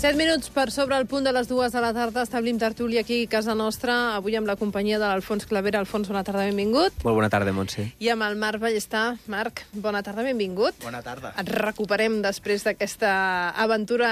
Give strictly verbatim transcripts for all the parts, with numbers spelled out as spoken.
Set minuts per sobre el punt de les dues de la tarda. Establim tertúlia aquí a casa nostra, avui amb la companyia de l'Alfons Clavera. Alfons, bona tarda, benvingut. Molt bona tarda, Montse. I amb el Marc Ballester. Marc, bona tarda, benvingut. Bona tarda. Et recuperem després d'aquesta aventura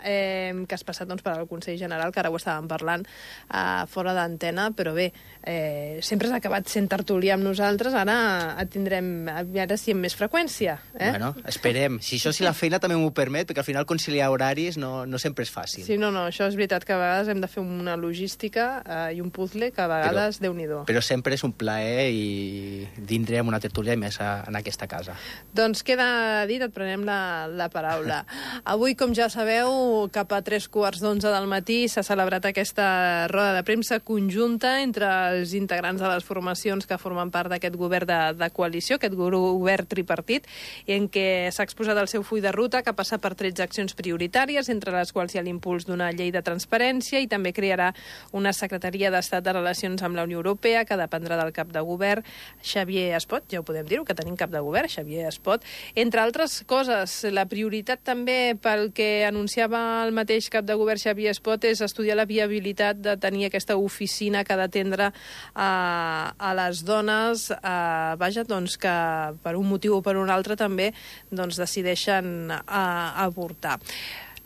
eh, que has passat doncs, per al Consell General, que ara ho estàvem parlant eh, fora d'antena, però bé, eh, sempre has acabat sent tertúlia amb nosaltres, ara et tindrem, ara sí amb més freqüència. Eh? Bueno, esperem. Si això, si la feina també m'ho permet, perquè al final conciliar horaris no, no sempre és fàcil. Sí, no, no, això és veritat que a vegades hem de fer una logística eh, i un puzzle que a vegades, però, Déu-n'hi-do. Però sempre és un plaer i vindré amb una tertúlia i més a, en aquesta casa. Doncs queda dit, et prenem la, la paraula. Avui, com ja sabeu, cap a tres quarts d'onze del matí s'ha celebrat aquesta roda de premsa conjunta entre els integrants de les formacions que formen part d'aquest govern de, de coalició, aquest govern tripartit, i en què s'ha exposat el seu full de ruta, que passa per tretze accions prioritàries, entre les quals hi ha l'impuls d'una llei de transparència, i també crearà una secretaria d'Estat de Relacions amb la Unió Europea, que dependrà del cap de govern, Xavier Espot, ja ho podem dir-ho, que tenim cap de govern, Xavier Espot. Entre altres coses, la prioritat també pel que anunciava el mateix cap de govern, Xavier Espot, és estudiar la viabilitat de tenir aquesta oficina que ha d'atendre a, a les dones, a, vaja, doncs que per un motiu o per un altre també doncs, decideixen a, avortar.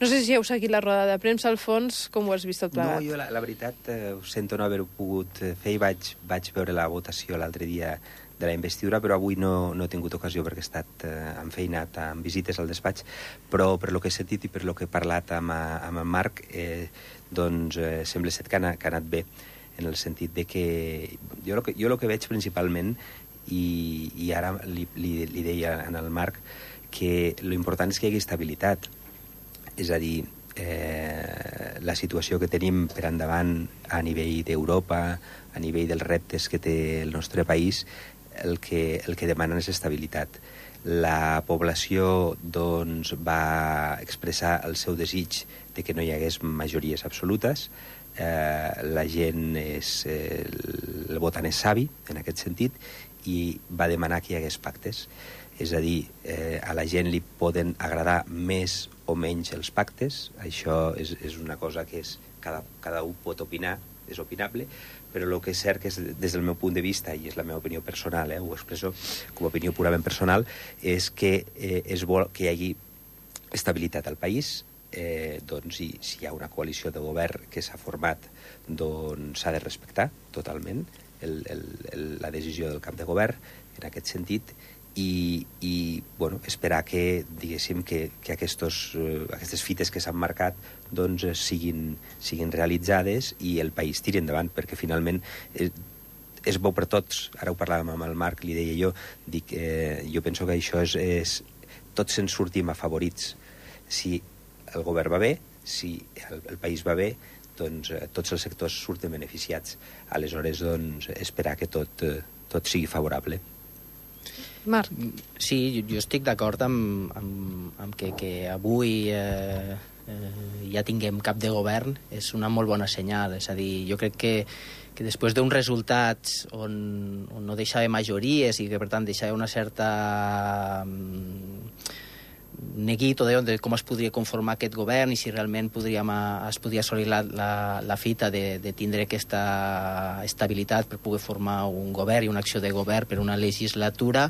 No sé si heu seguit la roda de premsa, Alfons, com ho has vist tot plegat? No, jo la, la veritat eh, ho sento no haver-ho pogut fer i vaig, vaig veure la votació l'altre dia de la investidura, però avui no, no he tingut ocasió perquè he estat eh, enfeinat amb visites al despatx, però per lo que he sentit i per lo que he parlat amb, amb en Marc, eh, doncs eh, sembla ser que ha, que ha anat bé, en el sentit de que jo el que, jo lo que veig principalment, i, i ara li, li, li deia en el Marc, que l'important és que hi hagi estabilitat. És a dir, eh, la situació que tenim per endavant a nivell d'Europa, a nivell dels reptes que té el nostre país, el que, el que demanen és estabilitat. La població doncs, va expressar el seu desig de que no hi hagués majories absolutes. Eh, la gent és, eh, el votant és savi, en aquest sentit, i va demanar que hi hagués pactes. És a dir, eh, a la gent li poden agradar més o menys els pactes, això és, és una cosa que és, cada, cada un pot opinar, és opinable, però el que és cert que és, des del meu punt de vista, i és la meva opinió personal, eh, ho expresso com a opinió purament personal, és que eh, és bo que hi hagi estabilitat al país, eh, doncs i, si hi ha una coalició de govern que s'ha format, doncs s'ha de respectar totalment el, el, el, la decisió del cap de govern en aquest sentit, i, i bueno, esperar que, diguéssim, que, que aquestos, eh, aquestes fites que s'han marcat doncs, siguin, siguin realitzades i el país tiri endavant, perquè finalment és, és bo per tots. Ara ho parlàvem amb el Marc, li deia jo, dic, eh, jo penso que això és, és tots se'n sortim afavorits. Si el govern va bé, si el, el país va bé, doncs eh, tots els sectors surten beneficiats. Aleshores, doncs, esperar que tot, eh, tot sigui favorable. Marc. Sí, jo, jo estic d'acord amb, amb, amb que, que avui eh, eh, ja tinguem cap de govern, és una molt bona senyal. És a dir, jo crec que, que després d'uns resultats on, on no deixava majories i que per tant deixava una certa neguit o de, de com es podria conformar aquest govern i si realment podríem, es podria assolir la, la, la fita de, de tindre aquesta estabilitat per poder formar un govern i una acció de govern per una legislatura,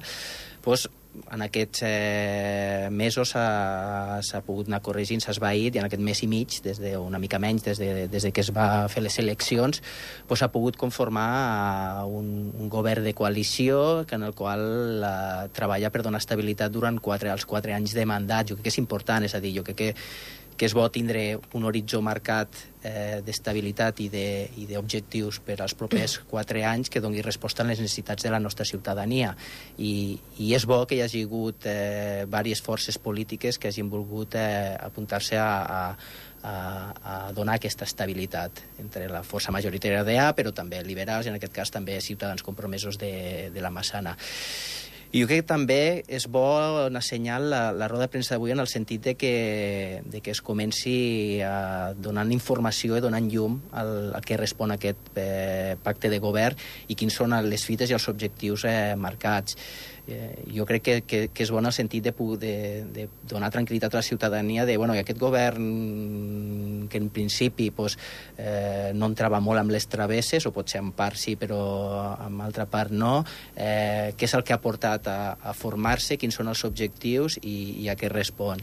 doncs, en aquests eh, mesos s'ha pogut anar corregint, s'ha esvaït, i en aquest mes i mig, des de, una mica menys, des de, des de que es va fer les eleccions, doncs s'ha pogut conformar un, un govern de coalició que en el qual eh, treballa per donar estabilitat durant quatre, els quatre anys de mandat. Jo crec que és important, és a dir, jo crec que que és bo tindre un horitzó marcat eh, d'estabilitat i d'objectius per als propers quatre anys que doni resposta a les necessitats de la nostra ciutadania. I, i és bo que hi hagi hagut eh, diverses forces polítiques que hagin volgut eh, apuntar-se a, a, a, a donar aquesta estabilitat entre la força majoritària d'A, però també liberals, i en aquest cas també ciutadans compromesos de, de la Massana. I jo crec que també és bo assenyalar la, la roda de premsa d'avui en el sentit de que, de que es comenci a donant informació i donant llum al, al que respon aquest eh, pacte de govern i quins són les fites i els objectius eh, marcats. Eh, jo crec que, que, que és bo en el sentit de, de, de donar tranquil·litat a la ciutadania de bueno, que aquest govern que en principi pues, eh, no entrava molt amb les travesses, o potser en part sí, però en altra part no, eh, què és el que ha portat a, a formar-se, quins són els objectius i, i a què respon.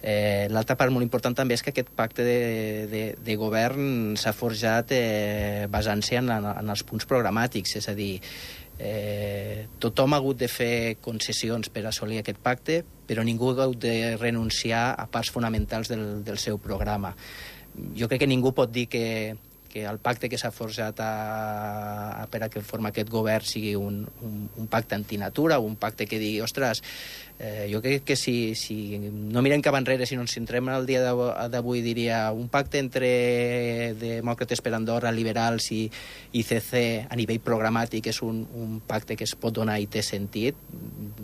Eh, L'altra part molt important també és que aquest pacte de, de, de govern s'ha forjat eh, basant-se en, en els punts programàtics, és a dir, Eh, tothom ha hagut de fer concessions per assolir aquest pacte, però ningú ha hagut de renunciar a parts fonamentals del, del seu programa. Jo crec que ningú pot dir que, que el pacte que s'ha forjat a, a, per a que forma aquest govern sigui un, un, un pacte antinatura o un pacte que digui, ostres, eh, jo crec que si, si no mirem cap enrere, si no ens centrem en el dia d'avui, diria un pacte entre Demòcrates per Andorra, liberals i I C C a nivell programàtic és un, un pacte que es pot donar i té sentit.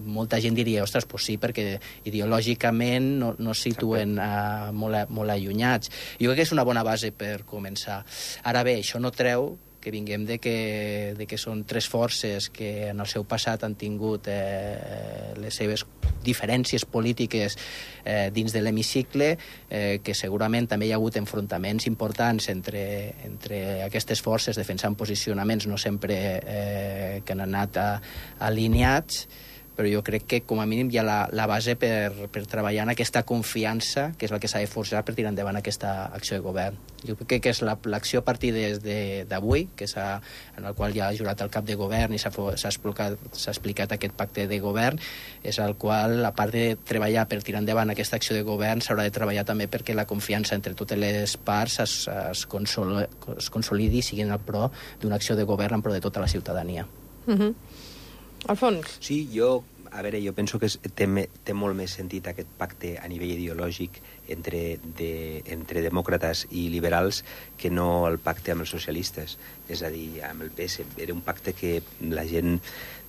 Molta gent diria, ostres, pues sí, perquè ideològicament no, no es situen uh, molt, molt allunyats. Jo crec que és una bona base per començar. Ara bé, això no treu que vinguem de que, de que són tres forces que en el seu passat han tingut eh, les seves diferències polítiques eh, dins de l'hemicicle, eh, que segurament també hi ha hagut enfrontaments importants entre, entre aquestes forces defensant posicionaments no sempre eh, que han anat a, alineats, però jo crec que com a mínim hi ha la, la base per, per treballar en aquesta confiança, que és la que s'ha de forjar per tirar endavant aquesta acció de govern. Jo crec que és l'acció la, a partir d'avui, que s'ha, en el qual ja ha jurat el cap de govern i s'ha explicat, explicat aquest pacte de govern, és el qual, a part de treballar per tirar endavant aquesta acció de govern, s'haurà de treballar també perquè la confiança entre totes les parts es, es, consol, es consolidi i sigui en el pro d'una acció de govern en pro de tota la ciutadania. Mhm. Alfons. Sí, jo, a veure, jo penso que és, té, té molt més sentit aquest pacte a nivell ideològic entre, de, entre demòcrates i liberals que no el pacte amb els socialistes. És a dir, amb el P S. Era un pacte que la gent,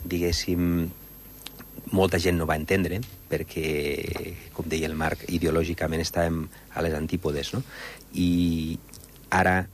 diguéssim, molta gent no va entendre, perquè, com deia el Marc, ideològicament estàvem a les antípodes, no? I ara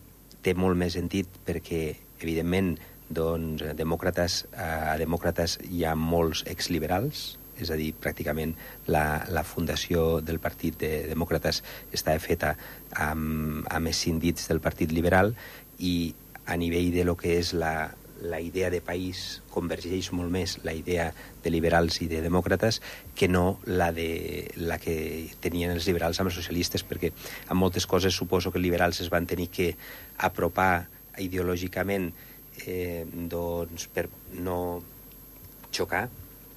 té molt més sentit perquè, evidentment, doncs, demòcrates, a demòcrates hi ha molts exliberals, és a dir, pràcticament la, la fundació del Partit de Demòcrates està feta amb, amb els síndits del Partit Liberal i a nivell de lo que és la, la idea de país convergeix molt més la idea de liberals i de demòcrates que no la, de, la que tenien els liberals amb els socialistes, perquè en moltes coses suposo que els liberals es van tenir que apropar ideològicament Eh, doncs per no xocar.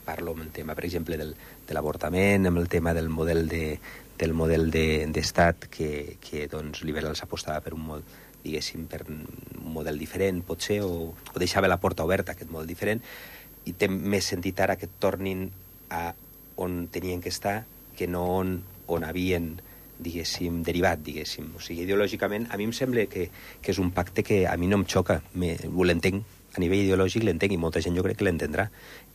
Parlo amb el tema, per exemple, del, de l'avortament, amb el tema del model de, del model d'estat de, que, que doncs, liberals apostava per un model, diguéssim, per un model diferent, potser, o, o deixava la porta oberta a aquest model diferent, i té més sentit ara que tornin a on tenien que estar que no on, on havien diguéssim, derivat, diguéssim. O sigui, ideològicament, a mi em sembla que, que és un pacte que a mi no em xoca. Me, ho l'entenc, a nivell ideològic l'entenc, i molta gent jo crec que l'entendrà.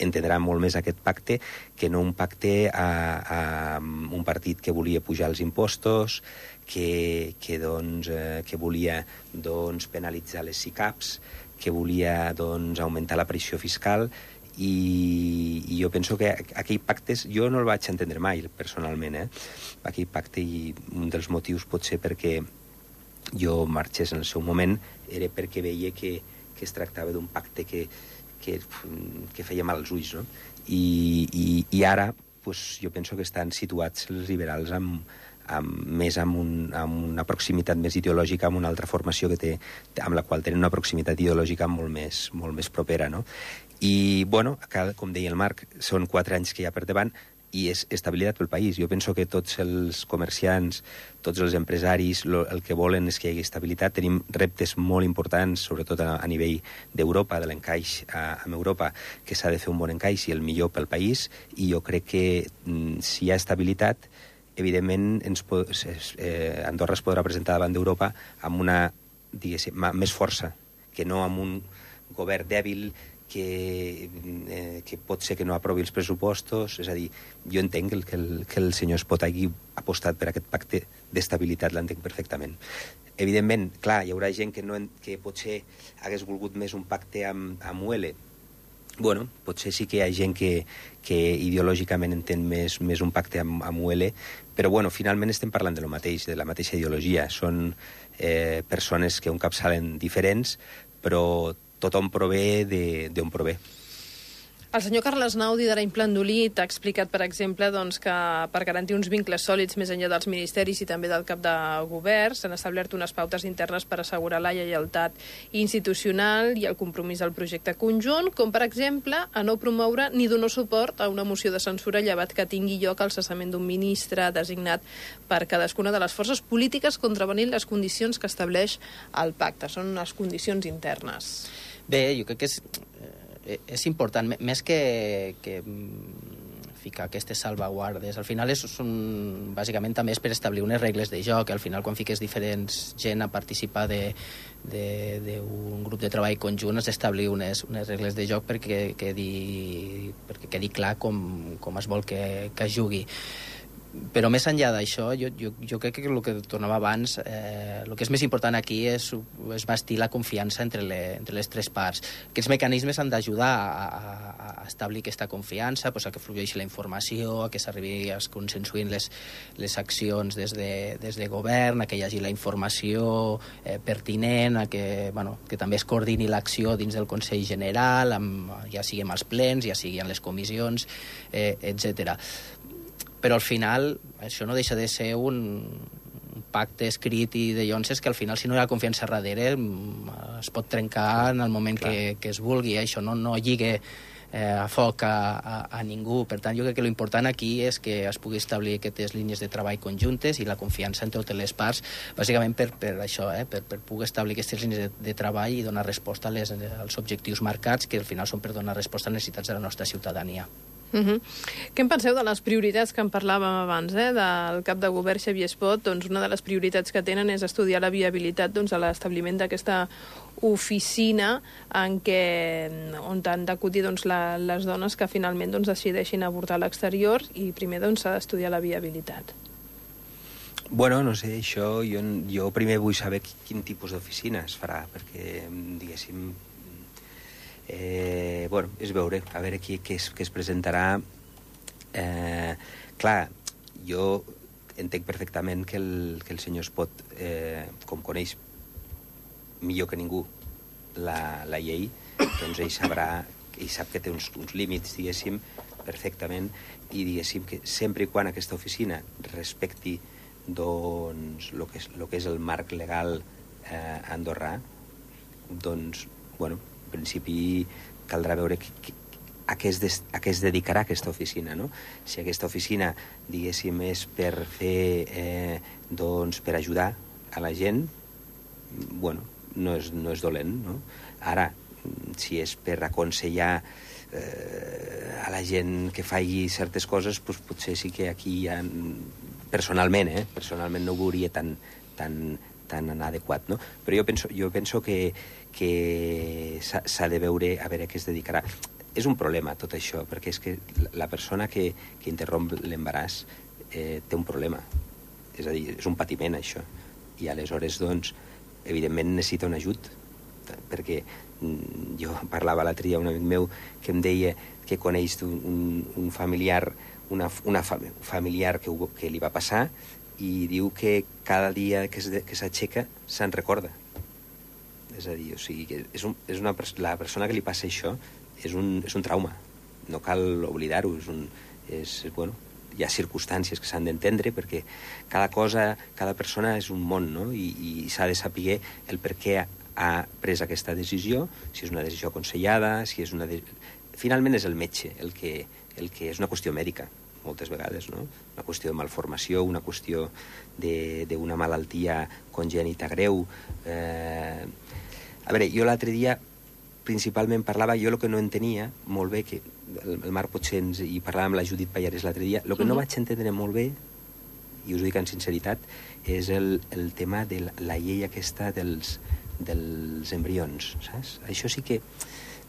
Entendrà molt més aquest pacte que no un pacte a, a un partit que volia pujar els impostos, que, que, doncs, eh, que volia doncs, penalitzar les SICAPs, que volia doncs, augmentar la pressió fiscal, i, i jo penso que aquell pactes jo no el vaig entendre mai personalment, eh? Aquell pacte, i un dels motius pot ser perquè jo marxés en el seu moment era perquè veia que, que es tractava d'un pacte que, que, que feia mal als ulls, no? I, i, i ara pues, jo penso que estan situats els liberals amb, amb, més amb, un, amb una proximitat més ideològica, amb una altra formació que té, amb la qual tenen una proximitat ideològica molt més, molt més propera, no? I, bueno, com deia el Marc, són quatre anys que hi ha per davant i és estabilitat pel país. Jo penso que tots els comerciants, tots els empresaris, lo, el que volen és que hi hagi estabilitat. Tenim reptes molt importants, sobretot a, a nivell d'Europa, de l'encaix amb Europa, que s'ha de fer un bon encaix i el millor pel país, i jo crec que mm, si hi ha estabilitat, evidentment ens pot, eh, Andorra es podrà presentar davant d'Europa amb una, diguéssim, més força, que no amb un govern dèbil que, eh, que pot ser que no aprovi els pressupostos. És a dir, jo entenc que el, que el senyor Espot hagi apostat per aquest pacte d'estabilitat, l'entenc perfectament. Evidentment, clar, hi haurà gent que, no, que potser hagués volgut més un pacte amb, amb U L. Bueno, potser sí que hi ha gent que, que ideològicament entén més, més un pacte amb, amb U L, però bueno, finalment estem parlant de lo mateix, de la mateixa ideologia. Són eh, persones que un cap salen diferents, però tothom prové d'on prové. El senyor Carles Nau, d'Hidra Implandolit, ha explicat, per exemple, doncs, que per garantir uns vincles sòlids més enllà dels ministeris i també del cap de govern s'han establert unes pautes internes per assegurar la lleialtat institucional i el compromís al projecte conjunt, com, per exemple, a no promoure ni donar suport a una moció de censura llevat que tingui lloc el cessament d'un ministre designat per cadascuna de les forces polítiques contravenint les condicions que estableix el pacte. Són unes condicions internes. Bé, jo crec que és... és important, més que, que ficar aquestes salvaguardes. Al final és un, bàsicament també és per establir unes regles de joc. Al final, quan fiques diferents gent a participar d'un grup de treball conjunt, has d'establir unes, unes regles de joc perquè quedi, perquè quedi clar com, com es vol que, que es jugui. Però més enllà d'això, jo, jo, jo crec que el que tornava abans, eh, el que és més important aquí és, és bastir la confiança entre, le, entre les tres parts. Aquests mecanismes han d'ajudar a, a, a establir aquesta confiança, pues, a que flueixi la informació, a que s'arribi a consensuïn les, les accions des de, des de govern, a que hi hagi la informació eh, pertinent, a que, bueno, que també es coordini l'acció dins del Consell General, amb, ja sigui amb els plens, ja sigui en les comissions, eh, etcètera. Però al final això no deixa de ser un, un pacte escrit i de llonses que al final, si no hi ha confiança darrere, es pot trencar en el moment que, que es vulgui. Això no, no lligue eh, a foc a, a, a ningú. Per tant, jo crec que l'important aquí és que es pugui establir aquestes línies de treball conjuntes i la confiança entre totes les parts, bàsicament per, per això, eh, per, per poder establir aquestes línies de, de treball i donar resposta a les, als objectius marcats, que al final són per donar resposta a les necessitats de la nostra ciutadania. Uh-huh. Què en penseu de les prioritats que en parlàvem abans, eh? Del cap de govern Xavier Espot? Doncs una de les prioritats que tenen és estudiar la viabilitat, doncs, a l'establiment d'aquesta oficina en què, on han d'acudir, doncs, la, les dones que finalment, doncs, decideixin avortar a l'exterior, i primer, doncs, s'ha d'estudiar la viabilitat. Bueno, no sé, això jo, jo primer vull saber quin tipus d'oficina es farà, perquè, diguéssim, Eh, bueno, és veure, a veure qui, què, es, què es presentarà. Eh, clar, jo entenc perfectament que el, que el senyor Espot, eh, com coneix millor que ningú la, la llei, doncs ell sabrà, ell sap que té uns, uns límits, diguéssim, perfectament, i diguéssim que sempre i quan aquesta oficina respecti doncs el que és, lo que és el marc legal eh, andorrà, doncs, bueno, en principi caldrà veure que, que, a, què es des, a què es dedicarà aquesta oficina, no? Si aquesta oficina, diguéssim, és per fer, eh, doncs, per ajudar a la gent, bueno, no és, no és dolent, no? Ara, si és per aconsellar eh, a la gent que faci certes coses, doncs potser sí que aquí hi ha, personalment, eh, personalment no ho veuria tan, tan, tan adequat, no? Però jo penso, jo penso que que s'ha de veure a veure a què es dedicarà. És un problema tot això, perquè és que la persona que, que interromp l'embaràs eh, té un problema. És a dir, és un patiment, això. I aleshores, doncs, evidentment necessita un ajut, perquè jo parlava l'altre dia un amic meu que em deia que coneix un, un familiar, una, una familiar que, que li va passar, i diu que cada dia que s'aixeca se'n recorda. És a dir, o sigui, que és un, és una, la persona que li passa això és un, és un trauma. No cal oblidar-ho. És un, és, bueno, hi ha circumstàncies que s'han d'entendre, perquè cada cosa, cada persona és un món, no? I, i s'ha de saber el per què ha pres aquesta decisió, si és una decisió aconsellada, si és una... De... Finalment és el metge, el que, el que és una qüestió mèdica, moltes vegades, no? Una qüestió de malformació, una qüestió d'una malaltia congènita greu. Eh... A veure, jo l'altre dia principalment parlava, jo el que no entenia molt bé, que el, el Marc potser ens, i parlava amb la Judit Pallares l'altre dia, el que no vaig entendre molt bé, i us ho dic amb sinceritat, és el, el tema de la, la llei aquesta dels, dels embrions, saps? Això sí que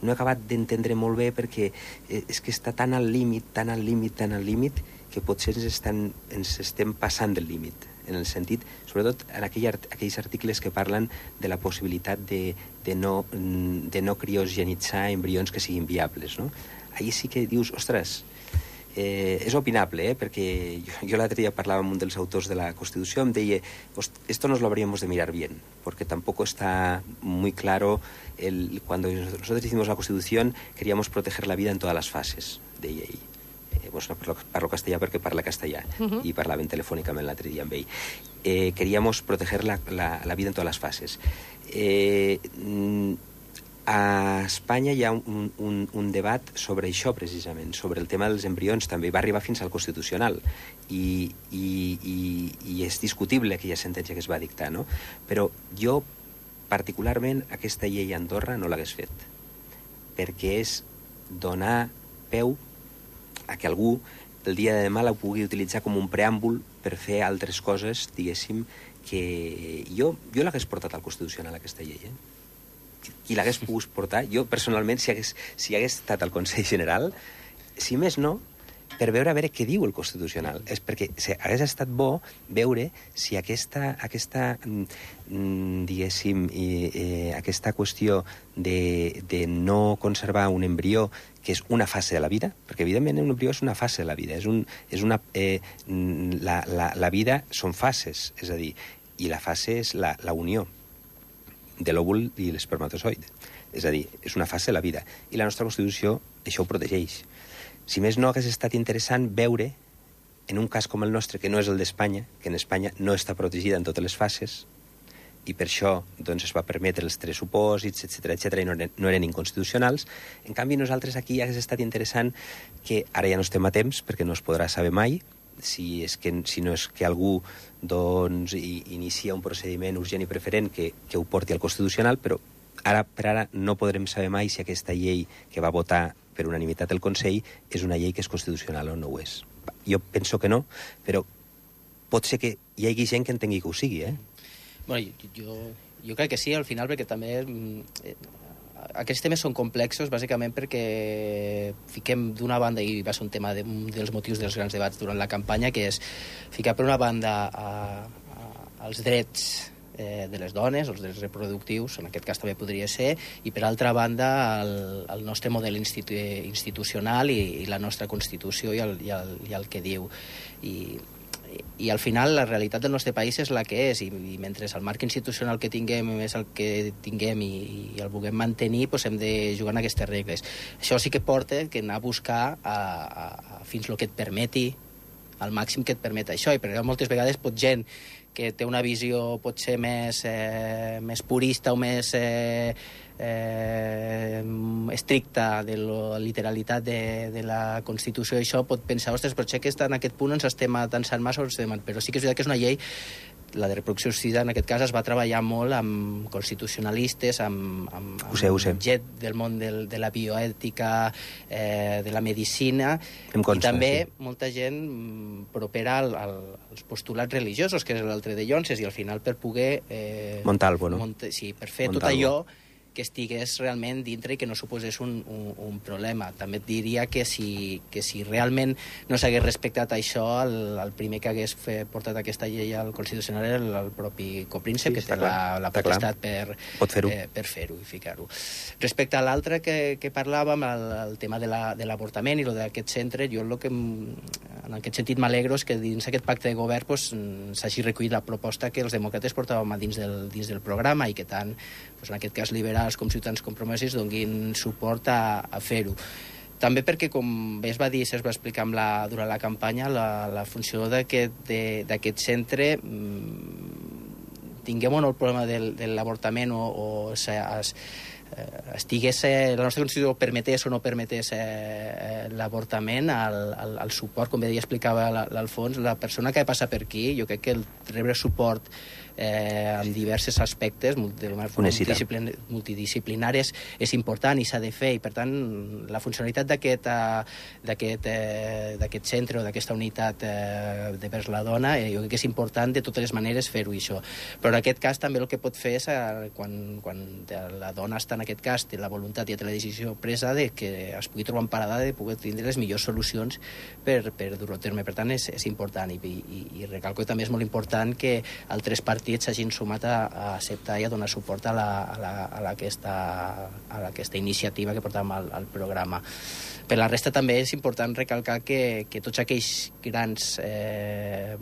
no he acabat d'entendre molt bé perquè és que està tan al límit, tan al límit, tan al límit, que potser ens, estan, ens estem passant del límit, en el sentit, sobretot en aquell art, aquells articles que parlen de la possibilitat de, de, no, de no criogenitzar embrions que siguin viables, no? Allí sí que dius, ostres, eh, és opinable, eh? Perquè jo, jo l'altre dia parlava amb un dels autors de la Constitució, em deia, esto nos lo habríamos de mirar bien, porque tampoco está muy claro, el, cuando nosotros hicimos la Constitución queríamos proteger la vida en todas las fases, deia ell. Eh, pues no parlo, parlo castellà perquè parla castellà, uh-huh. I parlaven telefònicament l'altre dia amb ell. Eh, queríamos proteger la, la, la vida en todas las fases. Eh, a Espanya hi ha un, un, un debat sobre això, precisament, sobre el tema dels embrions, també va arribar fins al Constitucional, i, i, i, i és discutible aquella sentència que es va dictar, no? Però jo, particularment, aquesta llei a Andorra no l'hagués fet, perquè és donar peu a que algú el dia de demà la pugui utilitzar com un preàmbul per fer altres coses, diguéssim, que jo, jo l'hagués portat al Constitucional, aquesta llei, eh? Qui l'hagués pogut portar, jo personalment, si hagués, si hagués estat al Consell General, si més no, per veure a veure què diu el Constitucional. És perquè hagués estat bo veure si aquesta, aquesta diguéssim, eh, aquesta qüestió de, de no conservar un embrió que és una fase de la vida, perquè evidentment un embrió és una fase de la vida, és un, és una, eh, la, la, la vida són fases, és a dir, i la fase és la, la unió de l'òvul i l'espermatozoide. És a dir, és una fase de la vida. I la nostra Constitució això ho protegeix. Si més no, hagués estat interessant veure, en un cas com el nostre, que no és el d'Espanya, que en Espanya no està protegida en totes les fases, i per això doncs, es va permetre els tres supòsits, etcètera, etcètera, i no eren, no eren inconstitucionals. En canvi, nosaltres aquí hagués estat interessant que, ara ja no estem a temps, perquè no es podrà saber mai, si, és que, si no és que algú doncs, inicia un procediment urgent i preferent que, que ho porti al Constitucional, però ara per ara no podrem saber mai si aquesta llei que va votar per unanimitat el Consell és una llei que és constitucional o no ho és. Jo penso que no, però pot ser que hi hagi gent que entengui que ho sigui, eh? Bueno, jo, jo crec que sí, al final, perquè també eh, aquests temes són complexos, bàsicament perquè fiquem d'una banda, i va ser un tema de, un dels motius dels grans debats durant la campanya, que és ficar per una banda a, a, als drets eh, de les dones, els drets reproductius, en aquest cas també podria ser, i per altra banda el, el nostre model institu institucional i, i la nostra Constitució i el, i, el, i el que diu. I, i al final la realitat del nostre país és la que és, i, i mentre el marc institucional que tinguem és el que tinguem i, i el vulguem mantenir, doncs hem de jugar en aquestes regles. Això sí que porta que anar a buscar a, a, a fins el que et permeti, al màxim que et permet això, i perquè moltes vegades pot gent que té una visió potser més, eh, més purista o més eh, eh, estricta de la literalitat de, de la Constitució, i això pot pensar, ostres, però que està en aquest punt ens estem atansant massa, però sí que és veritat que és una llei, la de reproducció assistida, en aquest cas, es va treballar molt amb constitucionalistes, amb, amb, amb ho sé, ho sé. gent del món del, de la bioètica, eh, de la medicina, consta, i també sí. molta gent propera al, al, als postulats religiosos, que és l'altre de Llonses, i al final per poder... Eh, Montalvo, no? Mont sí, per fer Montalvo. tot allò que estigués realment dintre i que no suposés un, un, un problema. També et diria que si, que si realment no s'hagués respectat això, el, el primer que hagués fe, portat aquesta llei al Constitucional era el, el propi copríncep, sí, que té la, la potestat per fer-ho eh, per fer-ho i ficar-ho. Respecte a l'altre que, que parlàvem, el, el tema de l'avortament la, i lo d'aquest centre, jo el que, en aquest sentit m'alegro és que dins aquest pacte de govern pues, s'hagi recollit la proposta que els demòcrates portàvem a dins del, dins del programa i que tant, pues, en aquest cas, liberals com Ciutadans Compromesos donguin suport a, a fer-ho. També perquè, com bé es va dir, es va explicar amb la, durant la campanya, la, la funció d'aquest centre mmm, tinguem o no el problema del, de l'avortament o, o es, es, estigués, eh, la nostra Constitució permetés o no permetés eh, l'avortament, el, el, el suport, com bé deia, explicava l'Alfons, la persona que passa per aquí, jo crec que el rebre suport eh, en diversos aspectes multidisciplin multidisciplinaris és important i s'ha de fer, i per tant la funcionalitat d'aquest d'aquest eh, centre o d'aquesta unitat eh, de vers la dona, eh, jo crec que és important de totes les maneres fer-ho, això. Però en aquest cas també el que pot fer és eh, quan, quan la dona està en en aquest cas té la voluntat i té la decisió presa de que es pugui trobar en parada de poder tindre les millors solucions per, per dur-ho a terme. Per tant, és, és important i, i, i recalco que també és molt important que altres partits s'hagin sumat a, a acceptar i a donar suport a, la, a, la, a, la aquesta, a la, aquesta iniciativa que portàvem al, al programa. Per la resta també és important recalcar que, que tots aquells grans eh,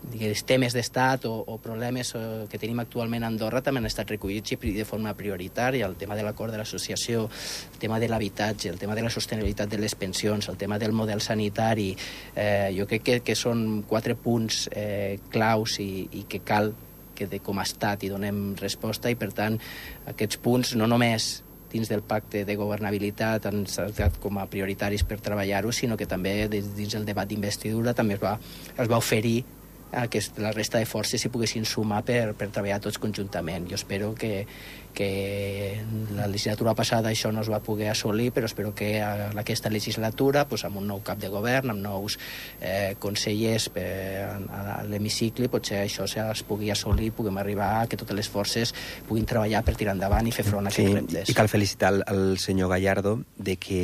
digués, temes d'estat o, o problemes que tenim actualment a Andorra també han estat recollits i de forma prioritària. El tema de l'acord de l'associació, el tema de l'habitatge, el tema de la sostenibilitat de les pensions, el tema del model sanitari, eh, jo crec que, que són quatre punts eh, claus i, i que cal que de, com a estat hi donem resposta, i per tant aquests punts no només dins del pacte de governabilitat han estat com a prioritaris per treballar-ho, sinó que també dins del debat d'investidura també es va, es va oferir a que la resta de forces s'hi poguessin sumar per, per treballar tots conjuntament. Jo espero que, que la legislatura passada això no es va poder assolir, però espero que a aquesta legislatura, pues, amb un nou cap de govern, amb nous eh, consellers per, a, a l'hemicicle, potser això es pugui assolir, puguem arribar a que totes les forces puguin treballar per tirar endavant i fer front a aquests sí, reptes. I cal felicitar el, el senyor Gallardo de que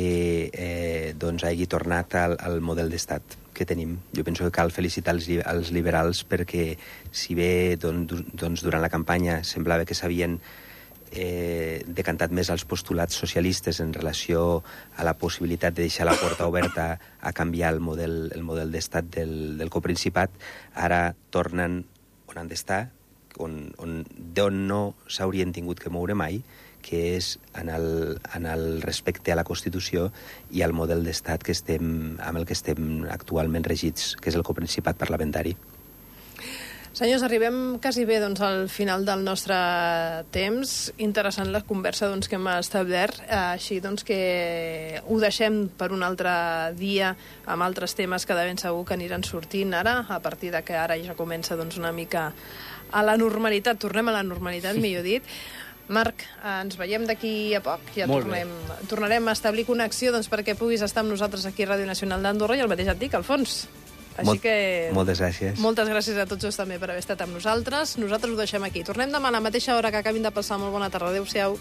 eh, doncs hagi tornat al, al model d'estat que tenim. Jo penso que cal felicitar els, els liberals perquè si bé doncs, doncs, durant la campanya semblava que s'havien eh, decantat més als postulats socialistes en relació a la possibilitat de deixar la porta oberta a canviar el model, el model d'estat del, del coprincipat, ara tornen on han d'estar, on, on, d'on no s'haurien tingut que moure mai, que és en el, en el respecte a la Constitució i al model d'estat que estem, amb el que estem actualment regits, que és el coprincipat parlamentari. Senyors, arribem quasi bé doncs, al final del nostre temps. Interessant la conversa doncs, que hem establert, així doncs, que ho deixem per un altre dia amb altres temes que de ben segur que aniran sortint ara, a partir de que ara ja comença doncs, una mica a la normalitat, tornem a la normalitat, millor dit. Marc, ens veiem d'aquí a poc, ja tornem, tornarem a establir connexió doncs, perquè puguis estar amb nosaltres aquí a Ràdio Nacional d'Andorra i el mateix et dic, Alfons. Així Molt, que... Moltes gràcies. Moltes gràcies a tots també per haver estat amb nosaltres. Nosaltres ho deixem aquí. Tornem demà a la mateixa hora que acabin de passar. Molt bona tarda. Adéu-siau.